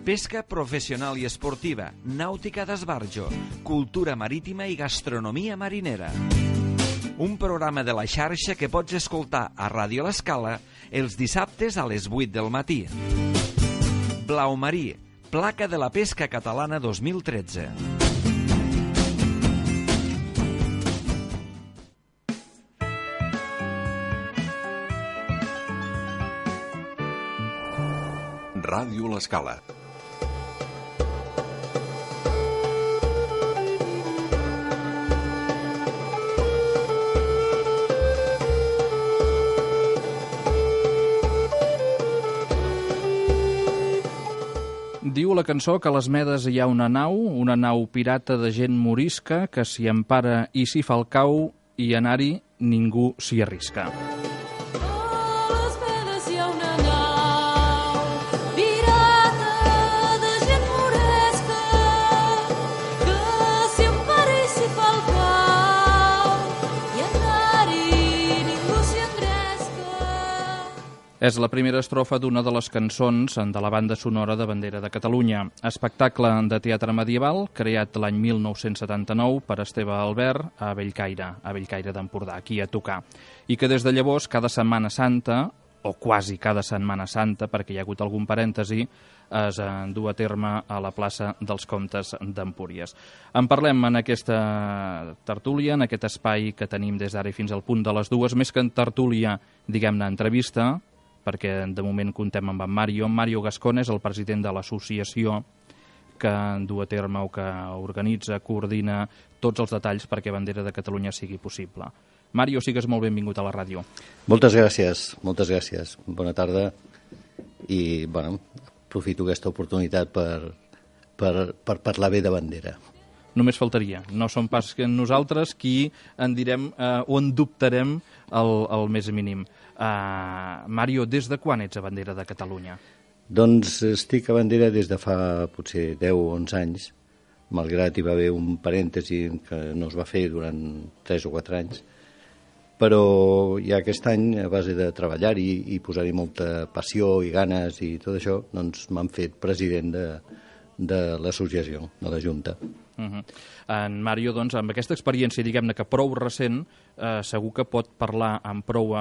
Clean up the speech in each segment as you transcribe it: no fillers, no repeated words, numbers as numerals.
pesca professional i esportiva, nàutica d'esbarjo, cultura marítima i gastronomia marinera. Un programa de la xarxa que pots escoltar a Ràdio L'Escala els dissabtes a les 8 del matí. Blau Marí, placa de la pesca catalana 2013. Ràdio L'Escala. Diu la cançó que a les Medes hi ha una nau pirata de gent morisca, que s'hi empara i s'hi fa el cau, i anar-hi ningú s'hi arrisca. És la primera estrofa d'una de les cançons de la banda sonora de Bandera de Catalunya, espectacle de teatre medieval creat l'any 1979 per Esteve Albert a Bellcaire d'Empordà, aquí a tocar, i que des de llavors cada Setmana Santa, o quasi cada Setmana Santa, perquè hi ha hagut algun parèntesi, es du a terme a la plaça dels Comtes d'Empúries. En parlem en aquesta tertúlia, en aquest espai que tenim des d'ara i fins al punt de les 2, més que en tertúlia, diguem-ne, entrevista, perquè de moment comptem amb en Mario Gascón, és el president de l'associació que du a terme o que organitza, coordina tots els detalls perquè Bandera de Catalunya sigui possible. Mario, sigues molt benvingut a la ràdio. Moltes gràcies. Bona tarda i, aprofito aquesta oportunitat per parlar bé de Bandera. Només faltaria. No som pas nosaltres qui en direm o en dubtarem el més mínim. Mario, des de quan ets a Bandera de Catalunya? Doncs estic a Bandera des de fa potser 10 o 11 anys, malgrat hi va haver un parèntesi que no es va fer durant 3 o 4 anys, però ja aquest any, a base de treballar-hi i posar-hi molta passió i ganes i tot això, doncs m'han fet president de l'associació, de la Junta. En Mario, doncs, amb aquesta experiència, diguem-ne que prou recent, segur que pot parlar amb prou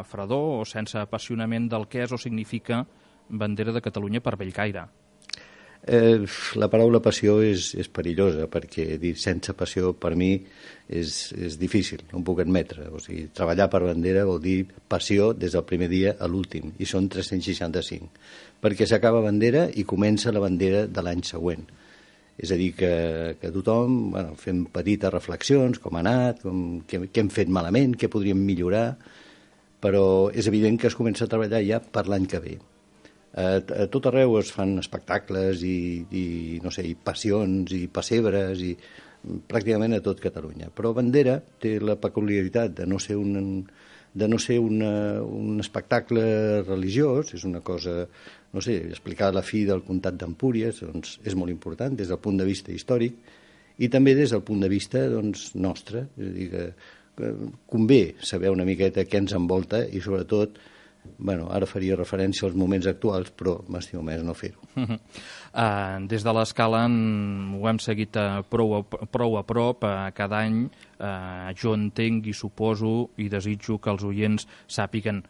fredor o sense apassionament del que és o significa Bandera de Catalunya per Bellcaire. La paraula passió és perillosa, perquè dir sense passió per mi és difícil, no ho puc admetre. O sigui, treballar per Bandera vol dir passió des del primer dia a l'últim, i són 365, perquè s'acaba Bandera i comença la Bandera de l'any següent. És a dir, que tothom fem petites reflexions, com ha anat, què hem fet malament, què podríem millorar, però és evident que es comença a treballar ja per l'any que ve. A tot arreu es fan espectacles i passions i pessebres, i pràcticament a tot Catalunya. Però Bandera té la peculiaritat de no ser un espectacle religiós, és una cosa, explicar la fi del comtat d'Empúries doncs, és molt important des del punt de vista històric i també des del punt de vista nostre. És a dir, que convé saber una miqueta què ens envolta i sobretot, ara faria referència als moments actuals, però m'estimo més no fer-ho. Des de l'Escala ho hem seguit prou a prop cada any. Jo entenc i suposo i desitjo que els oients sàpiguen,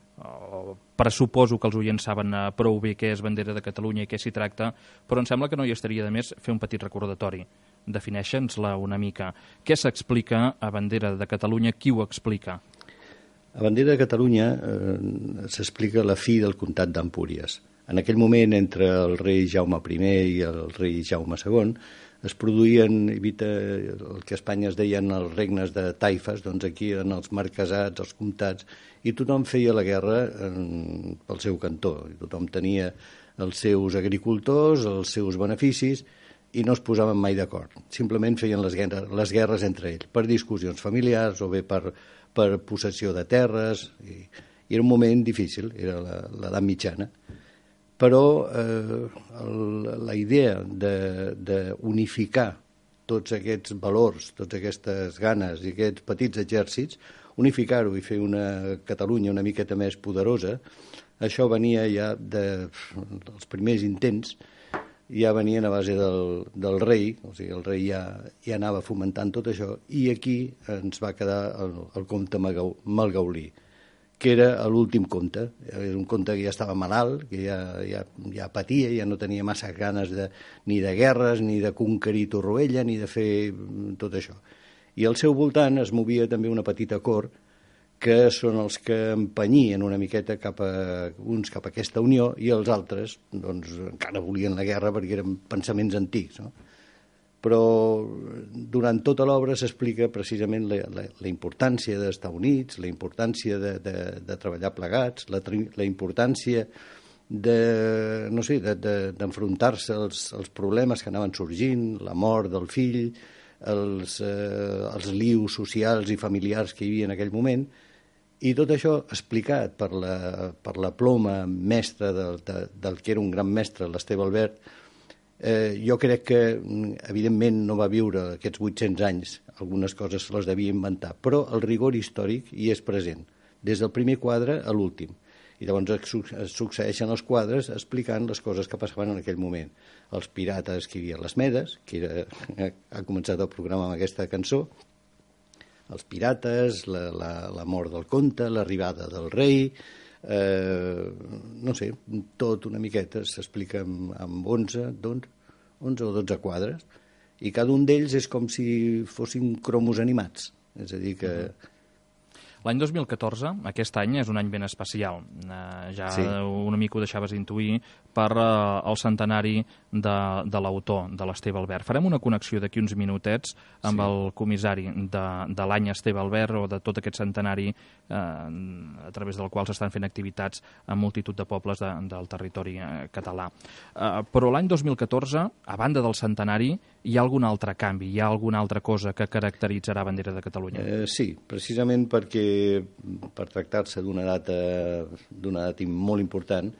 pressuposo que els oients saben prou bé què és Bandera de Catalunya i què s'hi tracta, però em sembla que no hi estaria de més fer un petit recordatori. Defineixa'ns-la una mica. Què s'explica a Bandera de Catalunya? Qui ho explica? A Bandera de Catalunya s'explica la fi del comtat d'Empúries. En aquell moment, entre el rei Jaume I i el rei Jaume II, es produïen el que a Espanya es deien els regnes de taifes, doncs aquí eren els marquesats, els comtats, i tothom feia la guerra pel seu cantó. I tothom tenia els seus agricultors, els seus beneficis, i no es posaven mai d'acord. Simplement feien les guerres entre ells, per discussions familiars o bé per possessió de terres, i era un moment difícil, era l'edat mitjana. Però la idea d'unificar tots aquests valors, totes aquestes ganes i aquests petits exèrcits, unificar-ho i fer una Catalunya una miqueta més poderosa, això venia ja dels primers intents ja venien a base del rei, o sigui, el rei ja anava fomentant tot això, i aquí ens va quedar el comte Malgaulí, que era l'últim comte. Era un comte que ja estava malalt, que ja patia, ja no tenia massa ganes ni de guerres, ni de conquerir Torroella, ni de fer tot això. I al seu voltant es movia també una petita cort, que són els que empenyien una miqueta uns cap a aquesta unió, i els altres doncs, encara volien la guerra perquè eren pensaments antics, no? Però durant tota l'obra s'explica precisament la importància d'estar units, la importància de treballar plegats, la importància d'enfrontar-se als problemes que anaven sorgint, la mort del fill, els lius socials i familiars que hi havia en aquell moment, i tot això explicat per la ploma mestra del que era un gran mestre, l'Esteve Albert. Jo crec que, evidentment, no va viure aquests 800 anys, algunes coses se les devia inventar, però el rigor històric hi és present, des del primer quadre a l'últim. I llavors es succeeixen els quadres explicant les coses que passaven en aquell moment. Els pirates que hi havia a les Medes, ha començat el programa amb aquesta cançó, els pirates, la mort del comte, l'arribada del rei, no sé, tot una miqueta s'explica amb 11 o 12 quadres, i cada un d'ells és com si fossin cromos animats, és a dir que... L'any 2014, aquest any, és un any ben especial. Sí. Una mica ho deixaves intuir per el centenari de l'autor, de l'Esteve Albert. Farem una connexió d'aquí uns minutets amb el comissari de l'any Esteve Albert, o de tot aquest centenari a través del qual s'estan fent activitats en multitud de pobles del territori català. Però l'any 2014, a banda del centenari, hi ha algun altre canvi? Hi ha alguna altra cosa que caracteritzarà Bandera de Catalunya? Sí, precisament perquè per tractar-se d'una data molt important,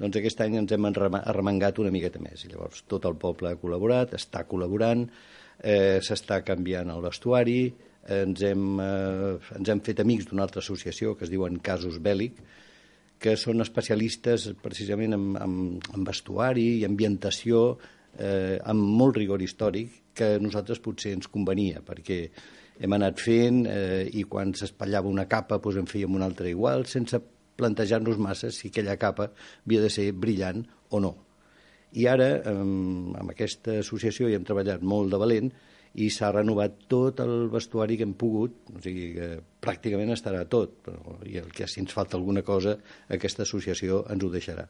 doncs aquest any ens hem arremangat una miqueta més. I llavors tot el poble ha col·laborat, està col·laborant, s'està canviant el vestuari, ens hem fet amics d'una altra associació que es diuen Casus Bèl·lic, que són especialistes precisament en vestuari i ambientació, amb molt rigor històric, que a nosaltres potser ens convenia, perquè hem anat fent i quan s'espatllava una capa doncs en fèiem una altra igual, sense plantejar-nos massa si aquella capa havia de ser brillant o no. I ara, amb aquesta associació, hi hem treballat molt de valent i s'ha renovat tot el vestuari que hem pogut, o sigui que pràcticament estarà tot, i el que si ens falta alguna cosa, aquesta associació ens ho deixarà.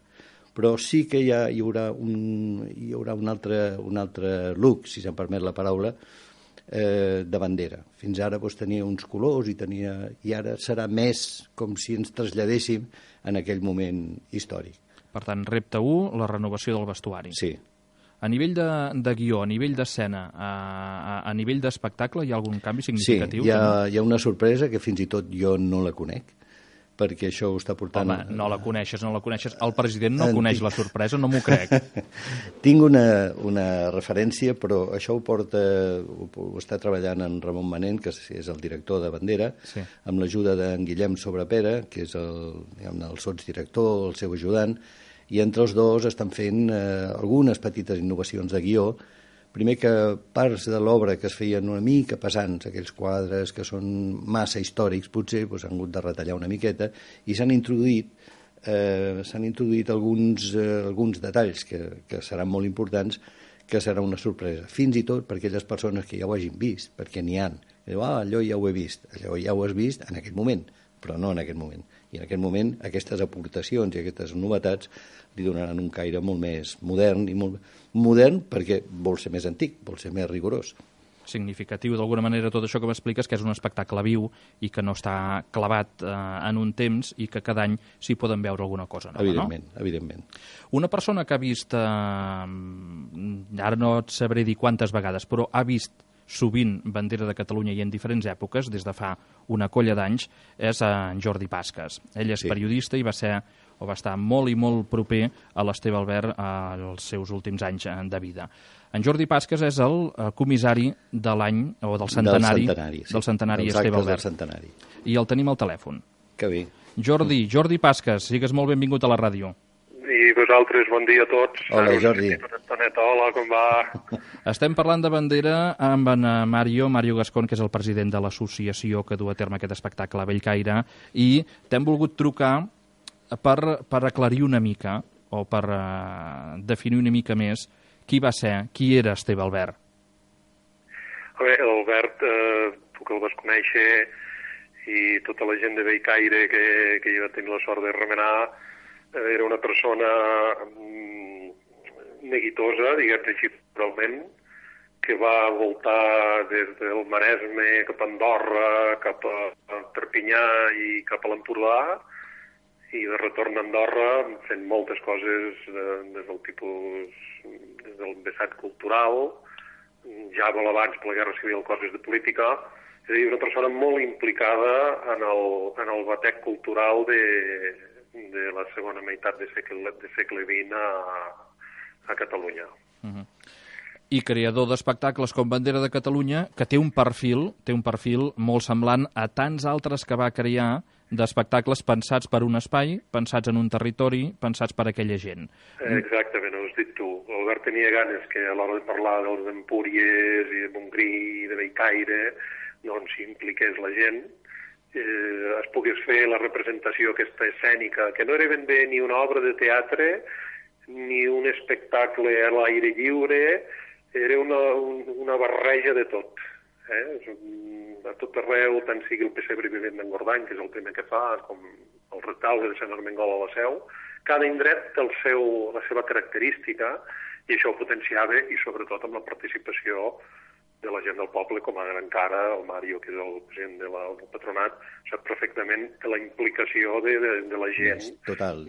Però sí que hi haurà un altre look, si se'm permet la paraula, de bandera. Fins ara tenia uns colors i ara serà més com si ens traslladéssim en aquell moment històric. Per tant, repte 1, la renovació del vestuari. Sí. A nivell de guió, a nivell d'escena, a nivell d'espectacle, hi ha algun canvi significatiu? Sí, hi ha una sorpresa que fins i tot jo no la conec, perquè això ho està portant... Home, no la coneixes. El president no coneix la sorpresa, no m'ho crec. Tinc una referència, però això ho està treballant en Ramon Manent, que és el director de Bandera, sí, amb l'ajuda d'en Guillem Sobrepera, que és el sotsdirector, el seu ajudant, i entre els dos estan fent algunes petites innovacions de guió. Primer, que parts de l'obra que es feien una mica pesants, aquells quadres que són massa històrics, potser s'han hagut de retallar una miqueta, i s'han introduït alguns detalls que seran molt importants, que serà una sorpresa. Fins i tot per aquelles persones que ja ho hagin vist, perquè n'hi ha. Allò ja ho he vist. Allò ja ho has vist en aquest moment, però no en aquest moment. I en aquest moment aquestes aportacions i aquestes novetats li donaran un caire molt més modern, i molt modern perquè vol ser més antic, vol ser més rigorós. Significatiu, d'alguna manera, tot això que m'expliques, que és un espectacle viu i que no està clavat en un temps i que cada any s'hi poden veure alguna cosa nova, evidentment, no? Evidentment. Una persona que ha vist, ara no et sabré dir quantes vegades, però ha vist sovint Bandera de Catalunya i en diferents èpoques, des de fa una colla d'anys, és en Jordi Pasques. Ell és periodista i va estar molt i molt proper a l'Esteve Albert als seus últims anys de vida. En Jordi Pasques és el comissari de l'any, o del centenari, del centenari Esteve Albert. I el tenim al telèfon. Que bé. Jordi Pasques, sigues molt benvingut a la ràdio. I vosaltres, bon dia a tots. Hola, Jordi. Tonet, hola, com va? Estem parlant de bandera amb en Mario Gascón, que és el president de l'associació que du a terme aquest espectacle a Bellcaire, i t'hem volgut trucar per aclarir una mica, o per definir una mica més, qui era Esteve Albert. Bé, l'Albert, tu que el vas conèixer, i tota la gent de Bellcaire que jo vaig tenir la sort de remenar, era una persona neguitosa, diguem-ne així, realment, que va voltar des del Maresme cap a Andorra, cap a Perpinyà i cap a l'Empordà, i de retorn a Andorra fent moltes coses des del vessant cultural, ja molt abans per la Guerra Civil, coses de política. És a dir, una persona molt implicada en el batec cultural de la segona meitat de segle XX a Catalunya. I creador d'espectacles com Bandera de Catalunya, que té un perfil molt semblant a tants altres que va crear, d'espectacles pensats per un espai, pensats en un territori, pensats per aquella gent. Exactament, ho has dit tu. L'Albert tenia ganes que a l'hora de parlar dels Empúries i de Montgrí i de Bellcaire, doncs s'impliqués la gent, es pogués fer la representació aquesta escènica, que no era ben bé ni una obra de teatre, ni un espectacle a l'aire lliure, era una barreja de tot. A tot arreu, tant sigui el pessebre vivent d'Engordany, que és el primer que fa, com el retaule de Sant Armengol a la Seu, cada indret té la seva característica, i això ho potenciava, i sobretot amb la participació de la gent del poble, com ara encara el Mario, que és el president del patronat, sap perfectament de la implicació de la gent. És total.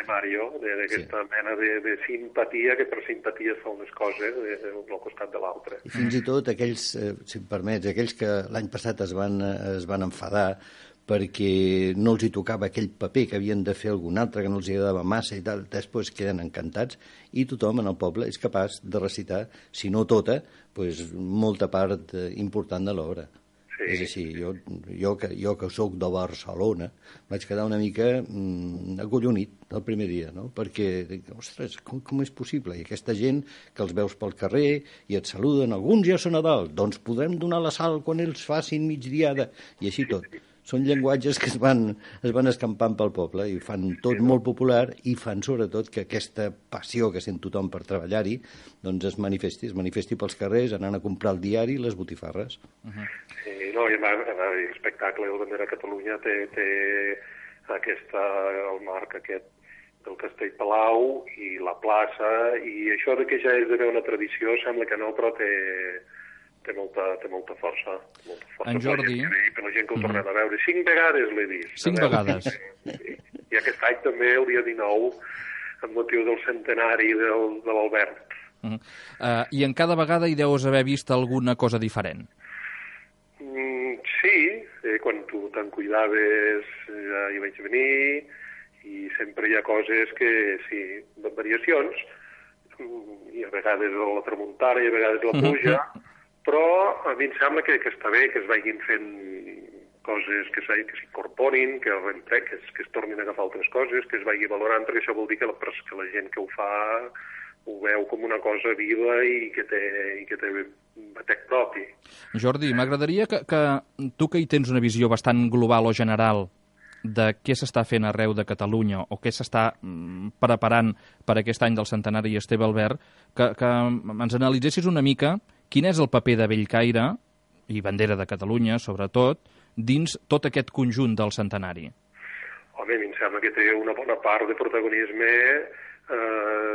Mario, d'aquesta mena de simpatia, que per simpatia es fan les coses d'un costat de l'altre. I fins i tot aquells, si em permets, aquells que l'any passat es van enfadar perquè no els hi tocava aquell paper, que havien de fer algun altre, que no els agradava massa i tal, després queden encantats, i tothom en el poble és capaç de recitar, si no tota, doncs molta part important de l'obra. Sí. És així, jo que sóc de Barcelona, vaig quedar una mica acollonit el primer dia, no? Perquè dic, ostres, com és possible? I aquesta gent que els veus pel carrer i et saluden, alguns ja són a dalt, doncs podrem donar la sal quan ells facin migdiada, i així tot. Són llenguatges que es van escampant pel poble i fan tot molt popular, i fan sobretot que aquesta passió que sent tothom per treballar-hi doncs es manifesti pels carrers, anant a comprar el diari i les botifarres. Sí, no, i l'espectacle del Bandera de Catalunya té el marc aquest del Castell Palau i la plaça, i això de que ja és d'haver una tradició sembla que no, però té molta força. En Jordi... Per la gent que ho tornem a veure. 5 vegades l'he vist. 5 vegades. I aquest any també, el dia 19, amb motiu del centenari de l'Albert. I en cada vegada hi deus haver vist alguna cosa diferent? Sí, quan tu te'n cuidaves ja hi vaig venir, i sempre hi ha coses que, sí, variacions, i a vegades la tramuntana i a vegades la pluja, però a mi em sembla que està bé que es vagin fent coses que s'incorporin, que es tornin a agafar altres coses, que es vagi valorant, perquè això vol dir que la gent que ho fa ho veu com una cosa viva i que té batec propi. Jordi, m'agradaria que tu, que hi tens una visió bastant global o general de què s'està fent arreu de Catalunya o què s'està preparant per aquest any del centenari Esteve Albert, que ens analitzessis una mica quin és el paper de Bellcaire i Bandera de Catalunya, sobretot, dins tot aquest conjunt del centenari? Home, a mi em sembla que té una bona part de protagonisme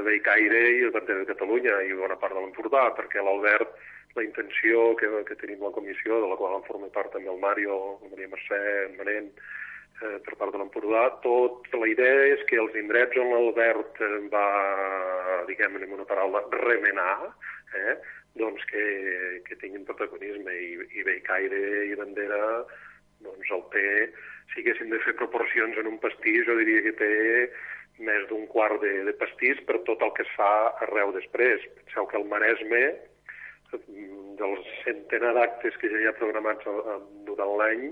Bellcaire i Bandera de Catalunya i bona part de l'Empordà, perquè l'Albert, la intenció que tenim la comissió, de la qual en forma part també el Mario, la Maria Mercè, en Manent, per part de l'Empordà, la idea és que els indrets on l'Albert va, diguem-ne amb una paraula, remenar, doncs que tinguin protagonisme, i Bellcaire i Bandera doncs el té, si haguéssim de fer proporcions en un pastís, jo diria que té més d'un quart de pastís per tot el que es fa arreu després. Penseu que el Maresme, dels centenar d'actes que ja hi ha programats durant l'any,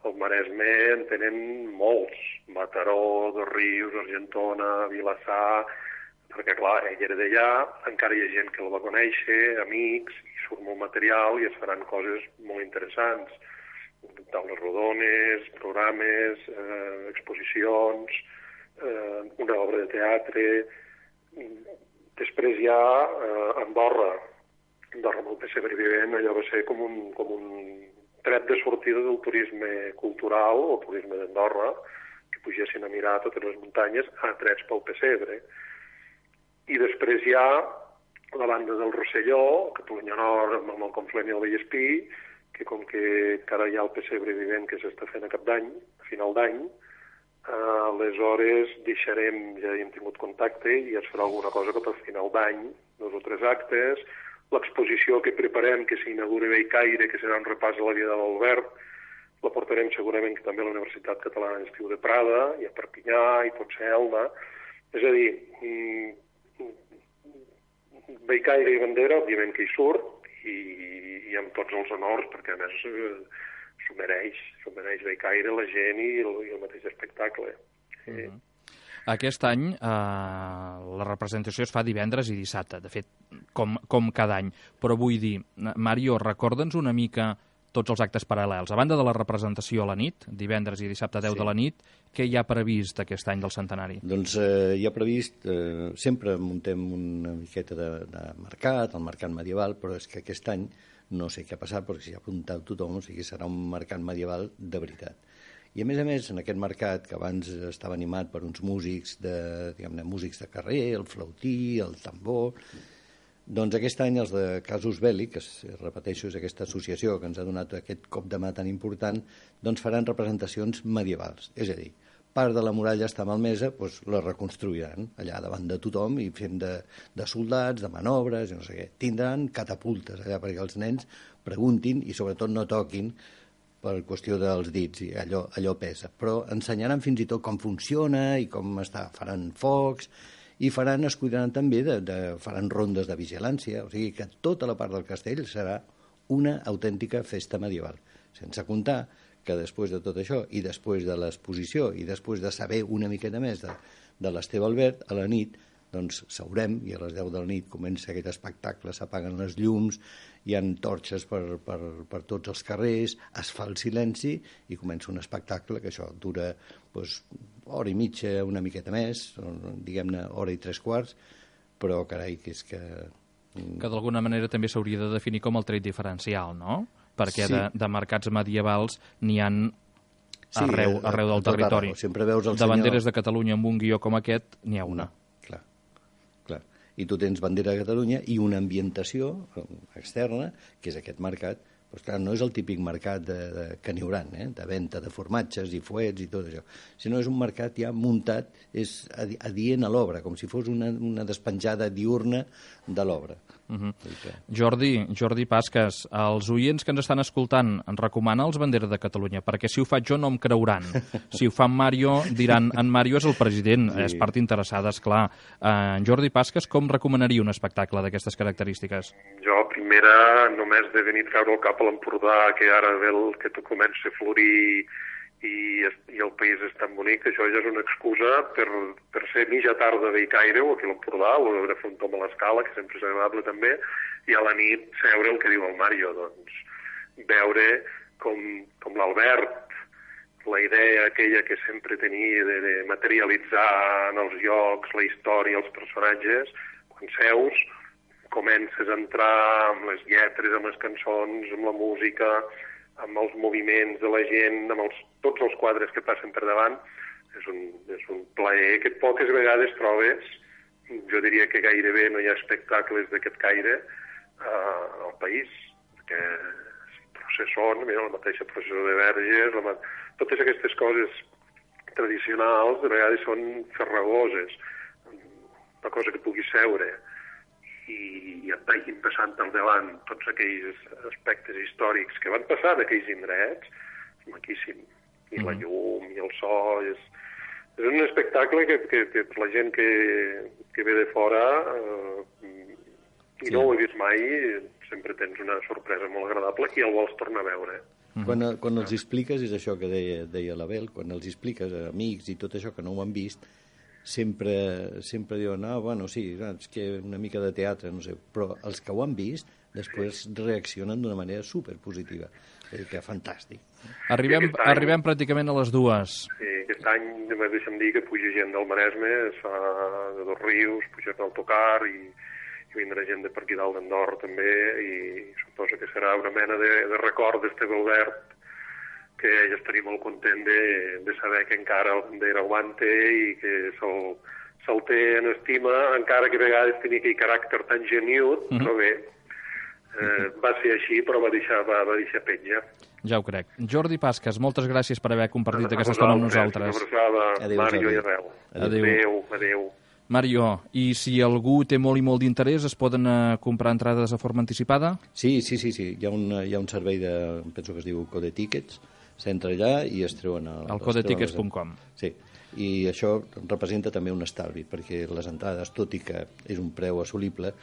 el Maresme en tenen molts. Mataró, Dosrius, Argentona, Vilassar, perquè clar, ell era d'allà, encara hi ha gent que el va conèixer, amics, i surt molt material i es faran coses molt interessants. Taules rodones, programes, exposicions, una obra de teatre. Després ja Andorra amb el pessebre vivent, allò va ser com un tret de sortida del turisme cultural o turisme d'Andorra, que pugessin a mirar totes les muntanyes atrets pel pessebre. I després hi ha la banda del Rosselló, Catalunya Nord, amb el Conflent i el Vallespí, que com que encara hi ha el pessebre vivent que s'està fent a cap d'any, a final d'any, aleshores deixarem, ja hem tingut contacte i es farà alguna cosa cap al final d'any, 2 o 3 actes, l'exposició que preparem, que s'inaugura a Bellcaire, que serà un repàs a la vida de l'Albert, la portarem segurament també a la Universitat Catalana d'Estiu de Prada, i a Perpinyà, i potser a Elna. És a dir, Bellcaire i bandera, òbviament que hi surt, i amb tots els honors, perquè a més s'ho mereix Bellcaire, la gent i el mateix espectacle. Sí. Aquest any la representació es fa divendres i dissabte, de fet, com cada any. Però vull dir, Mario, recorda'ns una mica tots els actes paral·lels. A banda de la representació a la nit, divendres i dissabte 10 de la nit, què hi ha previst aquest any del centenari? Doncs hi ha previst, sempre muntem una miqueta de mercat, el mercat medieval, però és que aquest any no sé què ha passat, perquè s'hi ha apuntat tothom, o sigui, serà un mercat medieval de veritat. I a més, en aquest mercat, que abans estava animat per uns músics músics de carrer, el flautí, el tambor, doncs aquest any els de Casus Belli, que repeteixo és aquesta associació que ens ha donat aquest cop de mà tan important, doncs faran representacions medievals. És a dir, part de la muralla està malmesa, doncs la reconstruiran allà davant de tothom i fent de soldats, de manobres, i no sé què. Tindran catapultes allà perquè els nens preguntin i sobretot no toquin per qüestió dels dits, i allò pesa. Però ensenyaran fins i tot com funciona i com està, faran focs, i escolliran també, faran rondes de vigilància, o sigui que tota la part del castell serà una autèntica festa medieval, sense comptar que després de tot això, i després de l'exposició, i després de saber una miqueta més de l'Esteve Albert, a la nit, doncs seurem, i a les 10 de la nit comença aquest espectacle, s'apaguen les llums, hi ha torxes per tots els carrers, es fa el silenci i comença un espectacle que això dura hora i mitja, una miqueta més, diguem-ne hora i 3/4, però carai, que és que... Que d'alguna manera també s'hauria de definir com el tret diferencial, no? Perquè sí, de mercats medievals n'hi ha arreu del territori. Sempre veus el de banderes de Catalunya amb un guió com aquest, n'hi ha una. Clar. I tu tens bandera de Catalunya i una ambientació externa, que és aquest mercat. Però clar, no és el típic mercat que n'hi haurà, de venda de formatges i fuets i tot això, sinó és un mercat ja muntat, és adient a l'obra, com si fos una despenjada diurna de l'obra. Jordi Pasques, els oients que ens estan escoltant, ens recomana els banderes de Catalunya, perquè si ho faig jo no em creuran. Si ho fa en Mario, diran, en Mario és el president, és part interessada, esclar. Jordi Pasques, com recomanaria un espectacle d'aquestes característiques? Jo, primera, només de venir a treure el cap a l'Empordà, que ara ve que tot comença a florir i el país és tan bonic, que això ja és una excusa per ser mitja tarda a Bellcaire o aquí a l'Empordà, o de fer un tom a l'escala, que sempre és agradable també, i a la nit seure el que diu el Mario, doncs veure com l'Albert, la idea aquella que sempre tenia de materialitzar en els llocs la història, els personatges, quan seus, comences a entrar amb les lletres, amb les cançons, amb la música, amb els moviments de la gent, amb tots els quadres que passen per davant, és un plaer que poques vegades trobes. Jo diria que gairebé no hi ha espectacles d'aquest caire al país, perquè processons, la mateixa processó de Verges, totes aquestes coses tradicionals de vegades són farragoses, una cosa que puguis seure i et vagin passant al davant tots aquells aspectes històrics que van passar d'aquells indrets, és maquíssim. I la llum, i el so, és un espectacle que la gent que ve de fora i no ho he vist mai, sempre tens una sorpresa molt agradable i el vols tornar a veure. Quan els expliques, és això que deia l'Abel, quan els expliques a amics i tot això que no ho han vist, sempre diuen, bueno, sí, és que una mica de teatre, no sé, però els que ho han vist després reaccionen d'una manera superpositiva. És a dir, que fantàstic. Arribem pràcticament a les 2. Sí, aquest any, deixa'm dir que puja gent del Maresme, es fa de Dos Rius, puja per l'autocar i vindrà gent de per aquí dalt d'Andorra també, i suposo que serà una mena de record d'Esteve Albert, que ell estaria molt content de saber que encara el bandera aguanta i que se'l té en estima, encara que a vegades tenia aquell caràcter tan geniut, però bé, va ser així, però va deixar petja. Ja ho crec. Jordi Pasques, moltes gràcies per haver compartit aquesta estona amb nosaltres. Una abraçada, Mario i Arrel. Adéu. Mario, i si algú té molt i molt d'interès, es poden comprar entrades de forma anticipada? Sí. Hi ha un servei penso que es diu Code Tickets, s'entra allà i es treuen... Al codetickets.com. Sí, i això representa també un estalvi, perquè les entrades, tot i que és un preu assolible,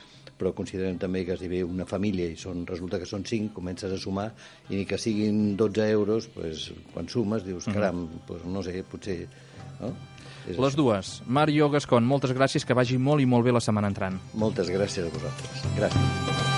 però considerem també que si ve una família i resulta que són 5, comences a sumar, i ni que siguin 12 euros, pues, quan sumes dius, caram, pues, no sé, potser... No? Les 2. Mario Gascon, moltes gràcies, que vagi molt i molt bé la setmana entrant. Moltes gràcies a vosaltres. Gràcies.